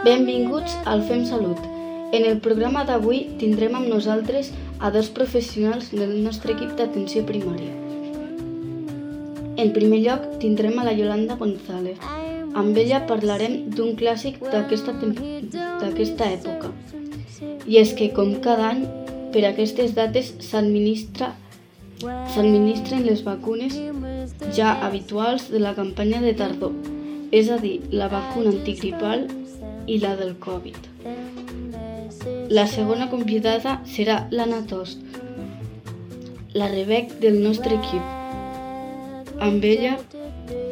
Benvinguts al Fem Salut. En el programa d'avui tindrem amb nosaltres a dos professionals del nostre equip d'atenció primària. En primer lloc tindrem a la Yolanda González. Amb ella parlarem d'un clàssic d'aquesta època. I és que, com cada any, per aquestes dates s'administren les vacunes ja habituals de la campanya de tardor, és a dir, la vacuna antigripal i la del Covid. La segona convidada serà l'Anna Tost, la Rebec del nostre equip. Amb ella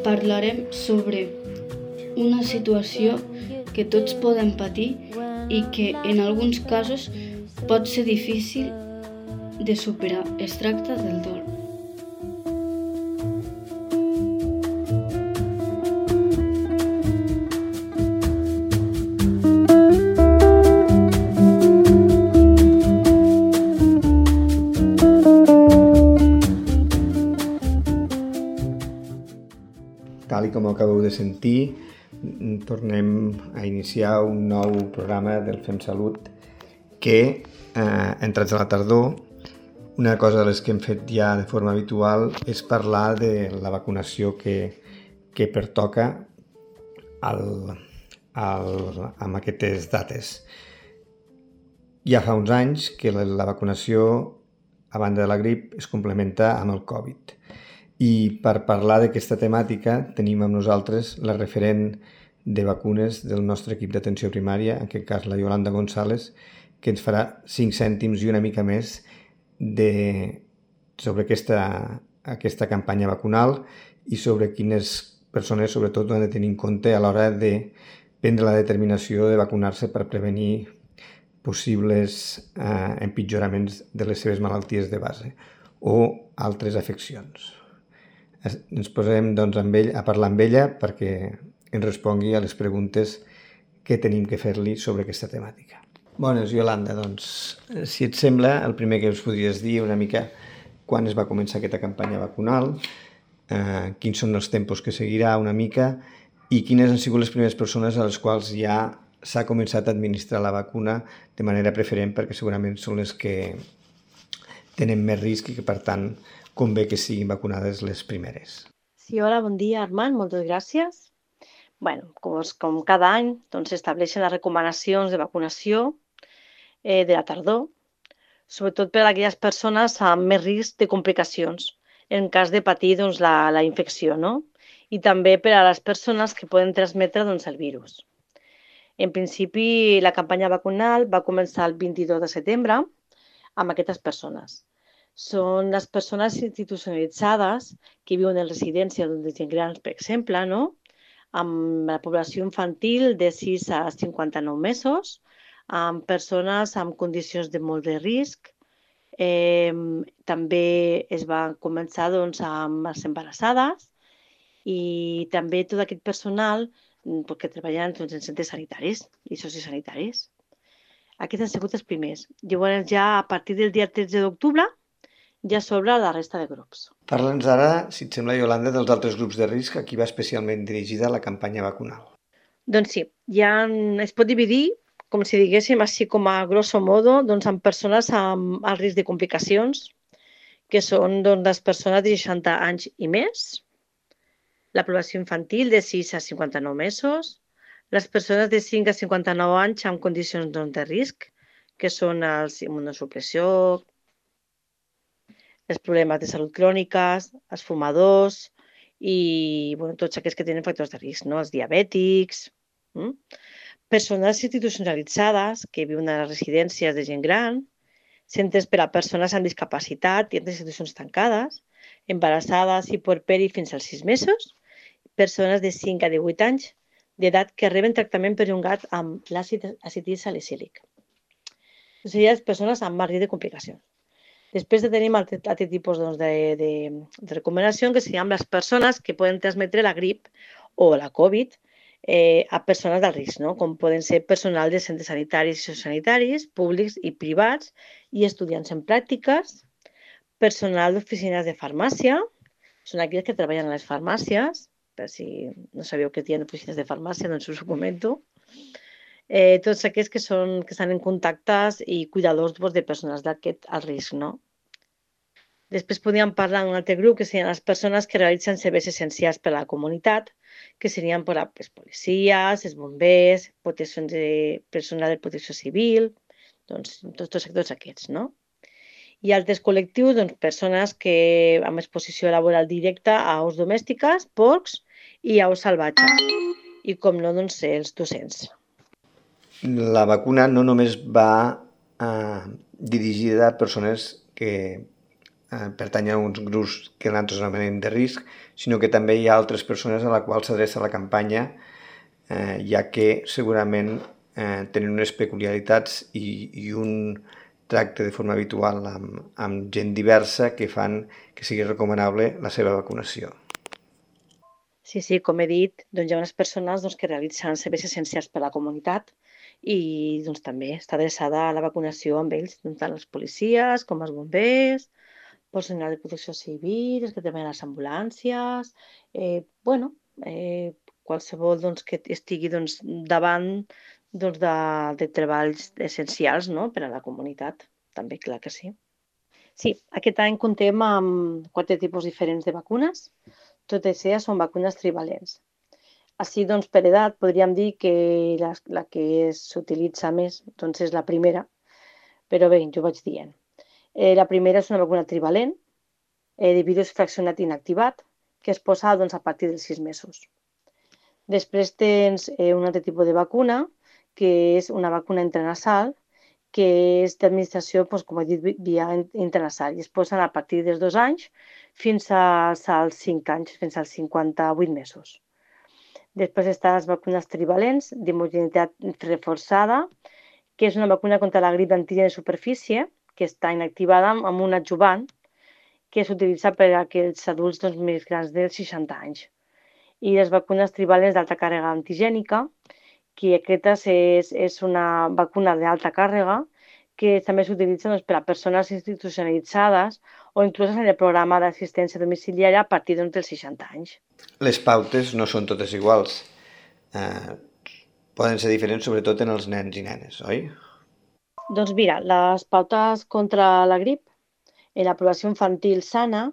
parlarem sobre una situació que tots podem patir i que en alguns casos pot ser difícil de superar. Es tracta del dol. Tal com acabeu de sentir, tornem a iniciar un nou programa del Fem Salut que, entrats a la tardor, una cosa de les que hem fet ja de forma habitual és parlar de la vacunació que pertoca amb aquestes dates. Ja fa uns anys que la vacunació, a banda de la grip, es complementa amb el Covid. I per parlar d'aquesta temàtica tenim amb nosaltres la referent de vacunes del nostre equip d'atenció primària, en aquest cas la Yolanda González, que ens farà 5 cèntims i una mica més sobre aquesta campanya vacunal i sobre quines persones, sobretot, ho han de tenir en compte a l'hora de prendre la determinació de vacunar-se per prevenir possibles empitjoraments de les seves malalties de base o altres afeccions. Ens posem a parlar amb ella perquè ens respongui a les preguntes que tenim que fer-li sobre aquesta temàtica. Bones, Yolanda, si et sembla, el primer que us podries dir una mica quan es va començar aquesta campanya vacunal, quins són els tempos que seguirà una mica i quines han sigut les primeres persones a les quals ja s'ha començat a administrar la vacuna de manera preferent perquè segurament són les que tenen més risc i que, per tant, convé que siguin vacunades les primeres. Sí, hola, bon dia, Armand, moltes gràcies. Com cada any, s'estableixen les recomanacions de vacunació de la tardor, sobretot per a aquelles persones amb més risc de complicacions en cas de patir la infecció, no? I també per a les persones que poden transmetre el virus. En principi, la campanya vacunal va començar el 22 de setembre amb aquestes persones. Són les persones institucionalitzades que viuen en residències de gent gran, per exemple, no? Amb la població infantil de 6 a 59 mesos, amb persones amb condicions de molt de risc. També es va començar amb les embarassades i també tot aquest personal que treballen en centres sanitaris i sociosanitaris. Aquests han sigut els primers. Llavors, ja a partir del dia 13 d'octubre, ja s'obre la resta de grups. Parla'ns ara, si et sembla, Yolanda, dels altres grups de risc a qui va especialment dirigida la campanya vacunal. Doncs sí, ja es pot dividir, com si diguéssim, així com a grosso modo, amb persones amb alt risc de complicacions, que són les persones de 60 anys i més, la població infantil de 6 a 59 mesos, les persones de 5 a 59 anys amb condicions de risc, que són els immunosupressió, els problemes de salut cròniques, els fumadors i tots aquells que tenen factors de risc, no? Els diabètics, persones institucionalitzades que viuen a les residències de gent gran, centres per a persones amb discapacitat i altres institucions tancades, embarassades i puerperi fins als 6 mesos, persones de 5 a 18 anys d'edat que reben tractament perllongat amb l'àcid acetil salicílic. Serien les persones amb més risc de complicacions. Després tenim altre tipus de recomanacions, que serien les persones que poden transmetre la grip o la Covid a persones d'alt risc, no? Com poden ser personal de centres sanitaris i sociosanitaris, públics i privats, i estudiants en pràctiques, personal d'oficines de farmàcia, són aquells que treballen a les farmàcies, per si no sabeu que hi ha oficines de farmàcia, doncs us ho comento. Tots aquells que estan en contactes i cuidadors de persones d'aquest alt risc, no? Després podríem parlar d'un altre grup, que serien les persones que realitzen serveis essencials per a la comunitat, que serien els policies, els bombers, personal de protecció civil, doncs tots aquests, no? I altres col·lectius, doncs, persones que amb exposició laboral directa a aus domèstiques, porcs i aus salvatges. I, com no, doncs, els docents. La vacuna no només va dirigida a persones que pertanyen a uns grups que nosaltres anomenem de risc, sinó que també hi ha altres persones a la qual s'adreça la campanya, ja que segurament tenen unes peculiaritats i un tracte de forma habitual amb gent diversa que fan que sigui recomanable la seva vacunació. Sí, com he dit, doncs hi ha unes persones que realitzen serveis essencials per a la comunitat i doncs, també està adreçada a la vacunació amb ells, tant els policies com els bombers, personal de protecció civil, els que treballen a les ambulàncies, qualsevol que estigui davant de treballs essencials, no?, per a la comunitat, també, clar que sí. Sí, aquest any comptem amb 4 tipus diferents de vacunes. Totes elles són vacunes trivalents. Així, doncs, per edat, podríem dir que la que s'utilitza més és la primera, però bé, jo vaig dient. La primera és una vacuna trivalent, de virus fraccionat inactivat, que es posa a partir dels 6 mesos. Després tens un altre tipus de vacuna, que és una vacuna intranasal, que és d'administració, com he dit, via intranasal, i es posen a partir dels 2 anys fins als 5 anys, fins als 58 mesos. Després estan les vacunes trivalents d'homogeneïtat reforçada, que és una vacuna contra la grip d'antigen de superfície, que està inactivada amb un adjuvant, que s'utilitza per a aquells adults més grans dels 60 anys. I les vacunes trivalents d'alta càrrega antigènica, que aquesta és una vacuna d'alta càrrega que també s'utilitza per a persones institucionalitzades o inclús en el programa d'assistència domiciliària a partir dels 60 anys. Les pautes no són totes iguals. Poden ser diferents sobretot en els nens i nenes, oi? Doncs mira, les pautes contra la grip en la població infantil sana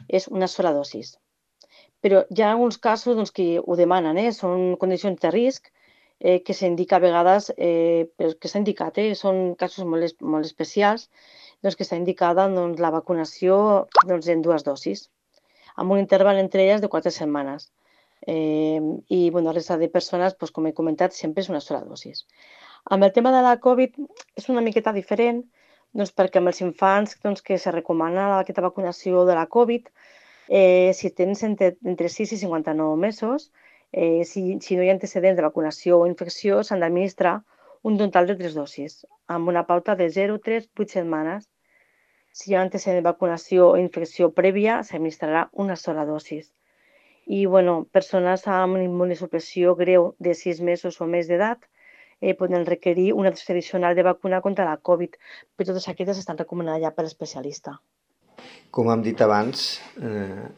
és una sola dosis. Però hi ha alguns casos que ho demanen, són condicions de risc que s'indica a vegades, però que s'ha indicat, són casos molt especials, que està indicada la vacunació en 2 dosis, amb un interval entre elles de 4 setmanes. I la resta de persones, com he comentat, sempre és una sola dosis. Amb el tema de la Covid és una miqueta diferent, perquè amb els infants que se recomana aquesta vacunació de la Covid, si tens entre 6 i 59 mesos, si no hi ha antecedents de vacunació o infecció, s'han d'administrar un total de 3 dosis, amb una pauta de 0, 3, 8 setmanes. Si hi ha antecedent de vacunació o infecció prèvia, s'administrarà una sola dosis. I, persones amb immunosupressió greu de 6 mesos o més d'edat poden requerir una dosi addicional de vacuna contra la Covid, però totes aquestes estan recomanades ja per l'especialista. Com hem dit abans,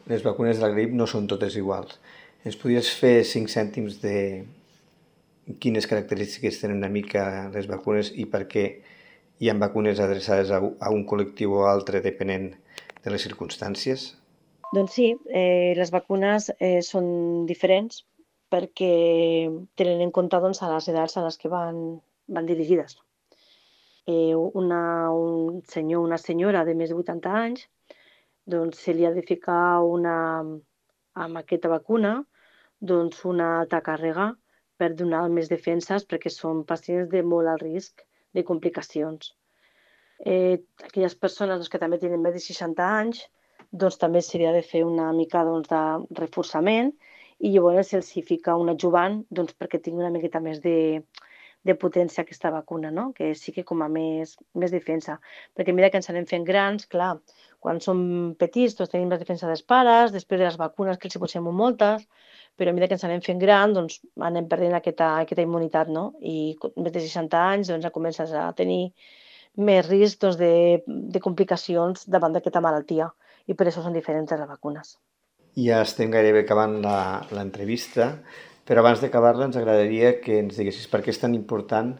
les vacunes de la grip no són totes iguals. Ens podries fer 5 cèntims de quines característiques tenen una mica les vacunes i per què hi ha vacunes adreçades a un col·lectiu o altre depenent de les circumstàncies? Doncs sí, les vacunes són diferents perquè tenen en compte a les edats a les que van dirigides. Un senyor o una senyora de més de 80 anys se li ha de ficar amb aquesta vacuna una alta càrrega per donar més defenses perquè són pacients de molt alt risc de complicacions. Aquelles persones que també tenen més de 60 anys també s'hauria de fer una mica de reforçament i llavors se'ls fica un adjuvant perquè tingui una miqueta més de potència aquesta vacuna, no? Que sigui com a més defensa. Perquè mira que ens anem fent grans, clar, quan som petits tenim més defensa dels pares, després de les vacunes que els hi posem moltes, però a mesura que ens anem fent grans anem perdent aquesta immunitat, no? I més de 60 anys comences a tenir més risc de complicacions davant d'aquesta malaltia i per això són diferents les vacunes. Ja estem gairebé acabant l'entrevista, però abans d'acabar-la ens agradaria que ens diguessis per què és tan important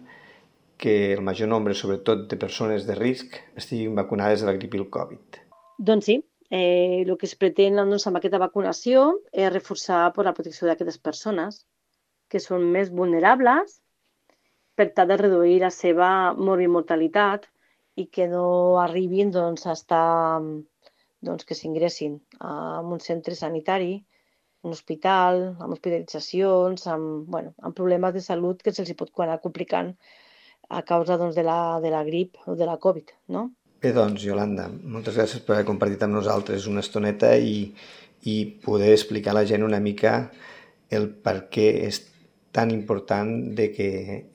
que el major nombre, sobretot de persones de risc, estiguin vacunades de la grip i el Covid. Doncs sí, el que es pretén doncs, amb aquesta vacunació és reforçar la protecció d'aquestes persones que són més vulnerables per tal de reduir la seva morbimortalitat i que no arribin doncs, a estar, doncs, que s'ingressin en un centre sanitari, un hospital, amb hospitalitzacions, amb problemes de salut que se'ls pot anar complicant a causa doncs, de la grip o de la Covid, no? Bé, doncs, Iolanda, moltes gràcies per haver compartit amb nosaltres una estoneta i poder explicar a la gent una mica el per què és tan important de que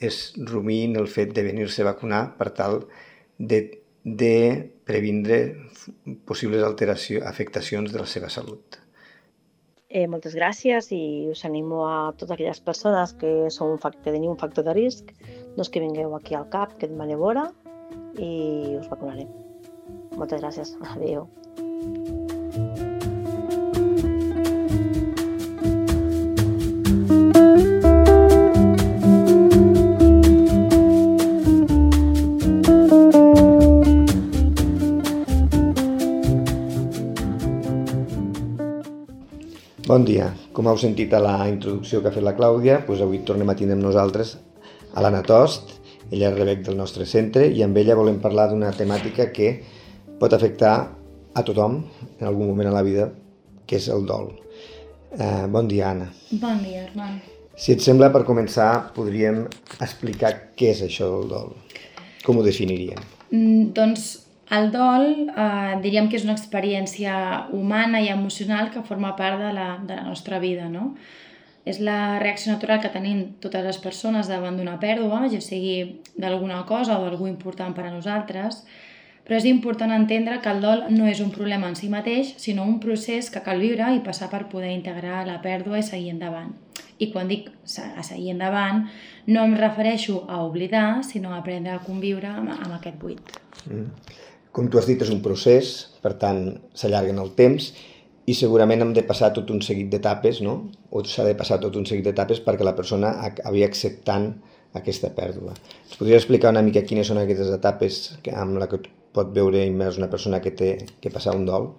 es rumiïn el fet de venir-se a vacunar per tal de previndre possibles afectacions de la seva salut. Moltes gràcies i us animo a totes aquelles persones que teniu un factor de risc doncs que vingueu aquí al CAP, que et manevora i us vacunarem. Moltes gràcies. Adéu. Bon dia. Com heu sentit a la introducció que ha fet la Clàudia, doncs avui tornem a tindre amb nosaltres a l'Anna Tost, ella és RBEC del nostre centre, i amb ella volem parlar d'una temàtica que pot afectar a tothom en algun moment a la vida, que és el dol. Bon dia, Anna. Bon dia, Armand. Si et sembla, per començar, podríem explicar què és això del dol. Com ho definiríem? Doncs el dol diríem que és una experiència humana i emocional que forma part de la nostra vida, no? És la reacció natural que tenim totes les persones davant d'una pèrdua, ja sigui d'alguna cosa o d'algú important per a nosaltres, però és important entendre que el dol no és un problema en si mateix, sinó un procés que cal viure i passar per poder integrar la pèrdua i seguir endavant. I quan dic a seguir endavant, no em refereixo a oblidar, sinó a aprendre a conviure amb aquest buit. Com tu has dit, és un procés, per tant, s'allarga en el temps i segurament hem de passar tot un seguit d'etapes, no? O s'ha de passar tot un seguit d'etapes perquè la persona acabi acceptant aquesta pèrdua. Ens podries explicar una mica quines són aquestes etapes amb la que pot veure immers una persona que té que passar un dol?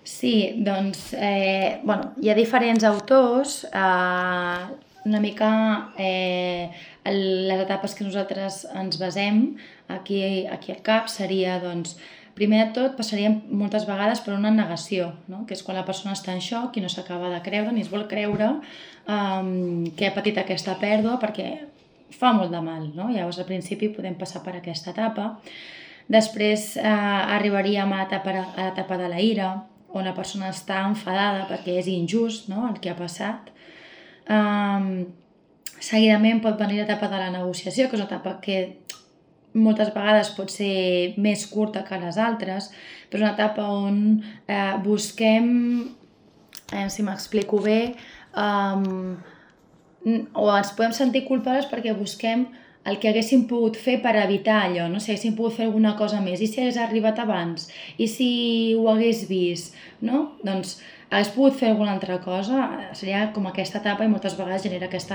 Sí, doncs, hi ha diferents autors, una mica les etapes que nosaltres ens basem aquí al CAP seria, doncs, primer de tot passaríem moltes vegades per una negació, no? Que és quan la persona està en xoc i no s'acaba de creure ni es vol creure que ha patit aquesta pèrdua perquè fa molt de mal, no? Llavors al principi podem passar per aquesta etapa. Després arribaríem a l'etapa de la ira, on la persona està enfadada perquè és injust, no? El que ha passat. Seguidament pot venir l'etapa de la negociació, que és una etapa que moltes vegades pot ser més curta que les altres, però és una etapa on busquem, si m'explico bé, o ens podem sentir culpables perquè busquem el que haguéssim pogut fer per evitar allò, no? Si haguéssim pogut fer alguna cosa més, i si hagués arribat abans, i si ho hagués vist, no? Doncs hagués pogut fer alguna altra cosa, seria com aquesta etapa i moltes vegades genera aquest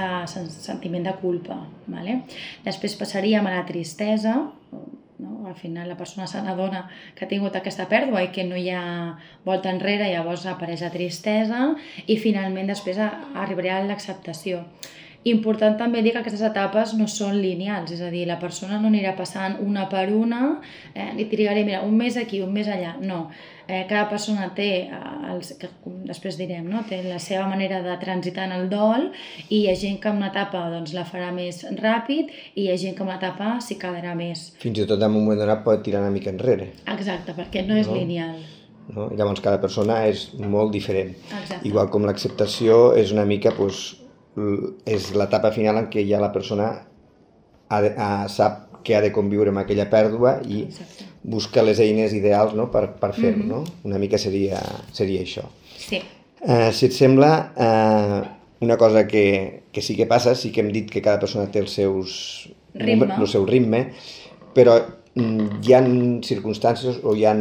sentiment de culpa. Vale? Després passaríem a la tristesa, no? Al final la persona se n'adona que ha tingut aquesta pèrdua i que no hi ha volta enrere, llavors apareix la tristesa i finalment després arribarà l'acceptació. Important també dir que aquestes etapes no són lineals, és a dir, la persona no anirà passant una per una, i trigaré, mira, un mes aquí, un mes allà, no. Cada persona té, després direm, no? Té la seva manera de transitar en el dol i hi ha gent que en una etapa doncs, la farà més ràpid i hi ha gent que en una etapa s'hi quedarà més. Fins i tot en un moment donat pot tirar una mica enrere. Exacte, perquè no és lineal. No? Llavors cada persona és molt diferent. Exacte. Igual com l'acceptació és una mica, és l'etapa final en què ja la persona sap que ha de conviure amb aquella pèrdua i busca les eines ideals, no? per fer-ho. No? Una mica seria això. Sí. Si et sembla, una cosa que sí que passa, sí que hem dit que cada persona té el seu ritme, però hi ha circumstàncies o hi ha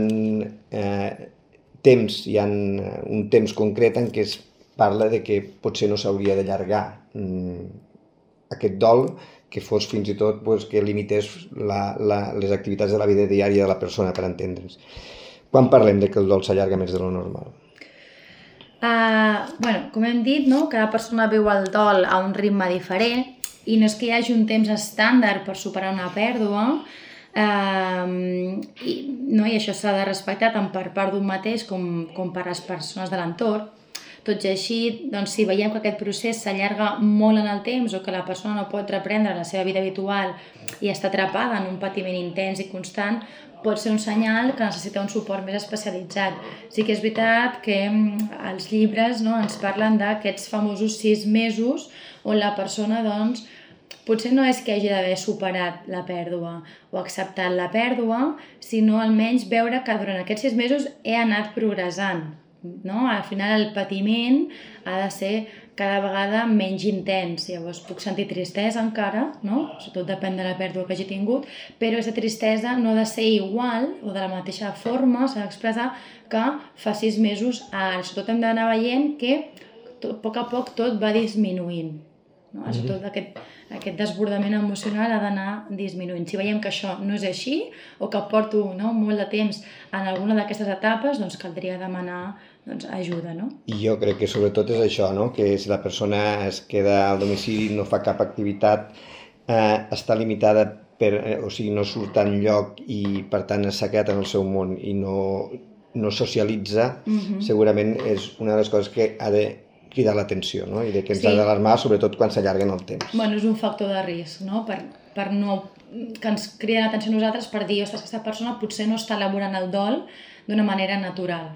temps, hi ha un temps concret en què es parla de que potser no s'hauria d'allargar aquest dol, que fos fins i tot que limités les activitats de la vida diària de la persona, per entendre'ns. Quan parlem de que el dol s'allarga més de lo normal? Com hem dit, cada persona viu el dol a un ritme diferent i no és que hi hagi un temps estàndard per superar una pèrdua, i això s'ha de respectar tant per part d'un mateix com per les persones de l'entorn. Tot i així, si veiem que aquest procés s'allarga molt en el temps o que la persona no pot reprendre la seva vida habitual i està atrapada en un patiment intens i constant, pot ser un senyal que necessita un suport més especialitzat. Sí que és veritat que els llibres ens parlen d'aquests famosos 6 mesos on la persona potser no és que hagi d'haver superat la pèrdua o acceptat la pèrdua, sinó almenys veure que durant aquests 6 mesos he anat progressant. Al final el patiment ha de ser cada vegada menys intens. Llavors puc sentir tristesa encara, tot depèn de la pèrdua que hagi tingut, però aquesta tristesa no ha de ser igual o de la mateixa forma, s'ha d'expressar que fa 6 mesos ara. Sobretot hem d'anar veient que a poc tot va disminuint. Sobretot aquest desbordament emocional ha d'anar disminuint. Si veiem que això no és així o que porto molt de temps en alguna d'aquestes etapes, caldria demanar ajuda. I jo crec que sobretot és això, que si la persona es queda al domicili, no fa cap activitat, està limitada, o sigui, no surt enlloc i per tant s'ha quedat en el seu món i no socialitza, segurament és una de les coses que ha de cridar l'atenció, i que ens ha d'alarmar, sobretot quan s'allarguen el temps. És un factor de risc, per no que ens criden l'atenció a nosaltres per dir, ostres, aquesta persona potser no està elaborant el dol d'una manera natural.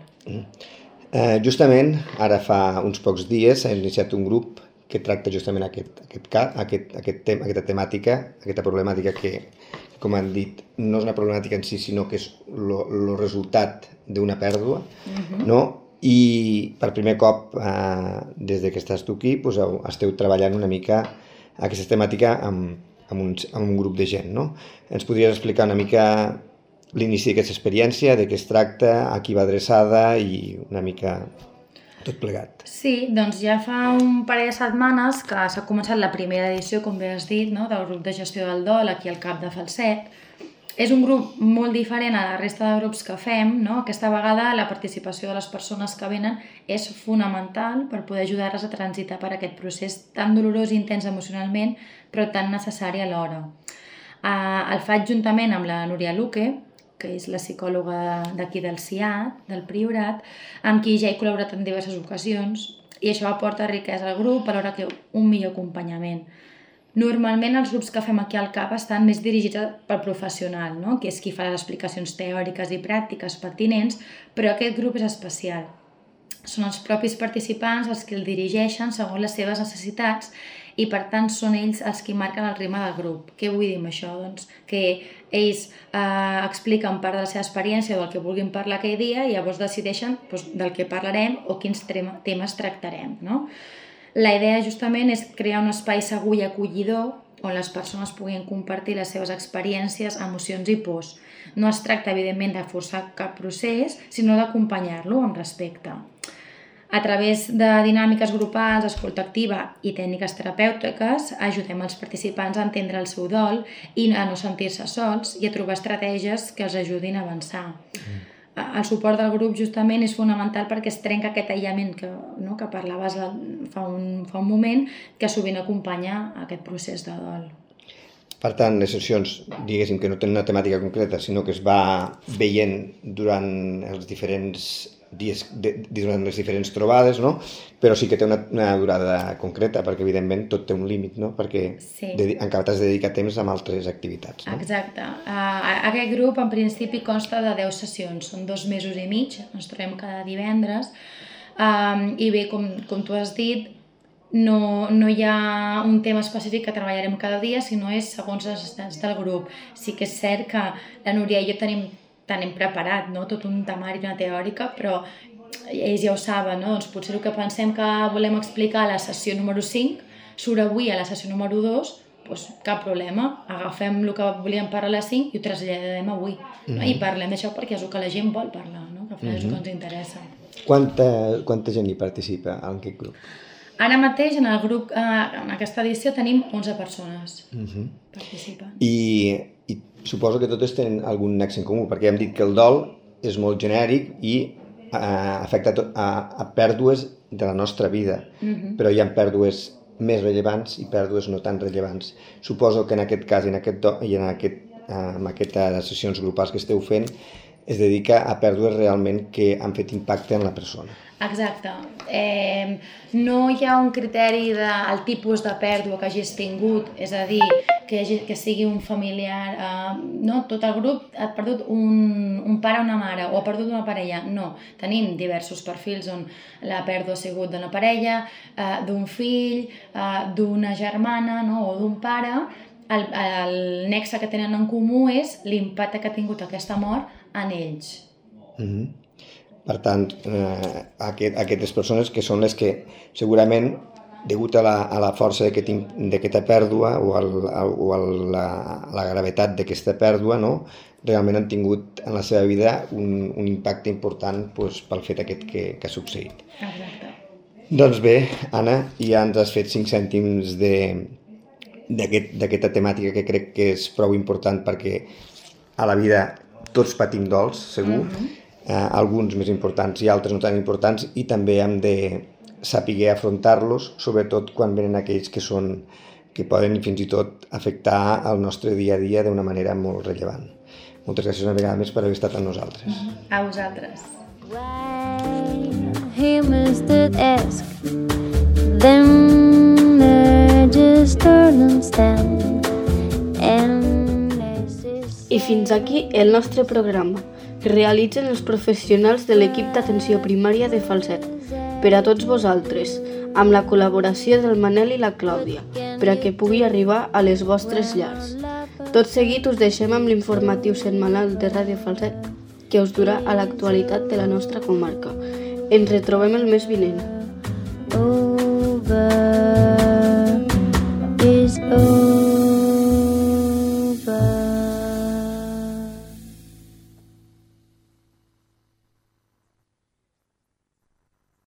Justament, ara fa uns pocs dies s'ha iniciat un grup que tracta justament aquesta temàtica, aquesta problemàtica que, com han dit, no és una problemàtica en si, sinó que és el resultat d'una pèrdua, i per primer cop, des que estàs tu aquí, esteu treballant una mica aquesta temàtica amb un grup de gent. Ens podries explicar una mica l'inici d'aquesta experiència, de què es tracta, a qui va adreçada i una mica tot plegat? Sí, ja fa un parell de setmanes que s'ha començat la primera edició, com bé has dit, del grup de gestió del dol aquí al CAP de Falset. És un grup molt diferent a la resta de grups que fem, Aquesta vegada la participació de les persones que venen és fonamental per poder ajudar-les a transitar per aquest procés tan dolorós i intens emocionalment, però tan necessari alhora. El faig juntament amb la Núria Luque, que és la psicòloga d'aquí del CIAT, del Priorat, amb qui ja he col·laborat en diverses ocasions, i això aporta riquesa al grup, alhora que un millor acompanyament. Normalment els grups que fem aquí al CAP estan més dirigits pel professional, que és qui fa les explicacions teòriques i pràctiques pertinents, però aquest grup és especial. Són els propis participants els que el dirigeixen segons les seves necessitats i per tant són ells els qui marquen el ritme del grup. Què vull dir amb això? Que ells expliquen part de la seva experiència o del que vulguin parlar aquell dia i llavors decideixen del que parlarem o quins temes tractarem. La idea justament és crear un espai segur i acollidor on les persones puguin compartir les seves experiències, emocions i pors. No es tracta, evidentment, de forçar cap procés, sinó d'acompanyar-lo amb respecte. A través de dinàmiques grupals, escolta activa i tècniques terapèutiques, ajudem els participants a entendre el seu dol i a no sentir-se sols i a trobar estratègies que els ajudin a avançar. El suport del grup justament és fonamental perquè es trenca aquest aïllament que parlaves fa un moment, que sovint acompanya aquest procés de dol. Per tant, les sessions, diguéssim que no tenen una temàtica concreta, sinó que es va veient durant els diferents dies, durant les diferents trobades, però sí que té una durada concreta, perquè evidentment tot té un límit, perquè encara t'has de dedicar temps a altres activitats. Exacte. Aquest grup en principi consta de 10 sessions, són 2 mesos i mig, ens trobem cada divendres, i bé, com tu has dit, no hi ha un tema específic que treballarem cada dia, sinó és segons les necessitats del grup. Sí que és cert que la Núria i jo tenim preparat tot un temari, una teòrica, però ells ja ho saben, potser el que pensem que volem explicar a la sessió número 5 surt avui a la sessió número 2, doncs cap problema, agafem el que volíem parlar a les 5 i ho traslladem avui. No? I parlem d'això perquè és el que la gent vol parlar, no? Que al final és el que ens interessa. Quanta gent hi participa en aquest grup? Ara mateix en el grup, en aquesta edició, tenim 11 persones participant. I suposo que totes tenen algun nexe en comú, perquè hem dit que el dol és molt genèric i afecta a pèrdues de la nostra vida, però hi ha pèrdues més rellevants i pèrdues no tan rellevants. Suposo que en aquest cas i en aquestes sessions grupals que esteu fent es dedica a pèrdues realment que han fet impacte en la persona. Exacte. No hi ha un criteri del tipus de pèrdua que hagis tingut, és a dir, que sigui un familiar, no? Tot el grup ha perdut un pare o una mare, o ha perdut una parella. No, tenim diversos perfils on la pèrdua ha sigut d'una parella, d'un fill, d'una germana, no? O d'un pare. El nexe que tenen en comú és l'impacte que ha tingut aquesta mort en ells. Per tant, aquestes persones que són les que segurament, degut a la força d'aquesta pèrdua o a la gravetat d'aquesta pèrdua, no? Realment han tingut en la seva vida un impacte important pel fet aquest que ha succeït. Exacte. Doncs bé, Anna, ja ens has fet 5 cèntims d'aquesta temàtica que crec que és prou important perquè a la vida tots patim dols, segur, alguns més importants i altres no tan importants, i també hem de saber afrontar-los, sobretot quan venen aquells que poden fins i tot afectar el nostre dia a dia d'una manera molt rellevant. Moltes gràcies una vegada més per haver estat amb nosaltres. A vosaltres. I fins aquí el nostre programa, que realitzen els professionals de l'equip d'atenció primària de Falset, per a tots vosaltres, amb la col·laboració del Manel i la Clàudia, per a que pugui arribar a les vostres llars. Tot seguit us deixem amb l'informatiu setmanal de Ràdio Falset, que us durà a l'actualitat de la nostra comarca. Ens retrobem el mes vinent.